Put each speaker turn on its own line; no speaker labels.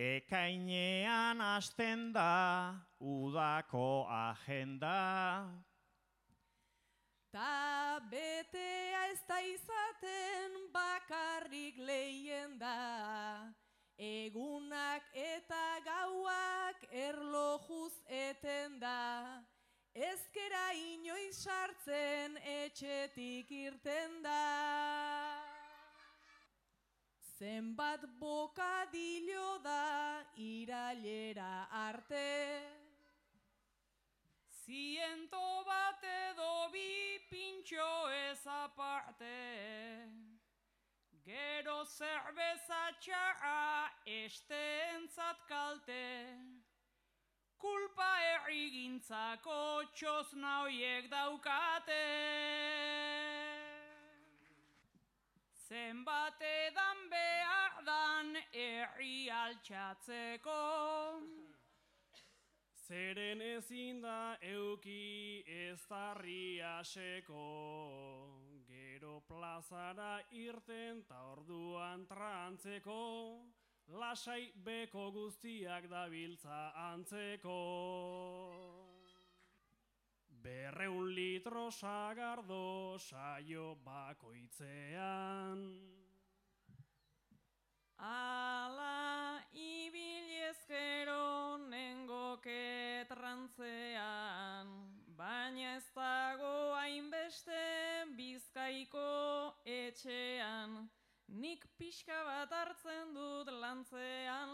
Ekainean hasten da udako agenda.
Ta betea ez da izaten bakarrik lehenda, egunak eta gauak erlojuz eten da, ezkera inoiz sartzen etxetik irten da. Zenbat bokadilo da irailera arte,
100 bat edo 2 pintxo ez aparte, gero zerbeza txarra esteentzat kalte, kulpa herrigintzako txosna hoiek daukate. Zenbat edan behar dan herri altxatzeko,
zeren ezin da euki ez darri aseko, gero plazara irten ta orduan trantzeko, lasai beko guztiak dabiltza antzeko. 200 litro sagardo saio bakoitzean.
ala ibilezkero nengoke trantzean, baina ez dago hainbeste Bizkaiko etxean, nik pixka bat hartzen dut lantzean.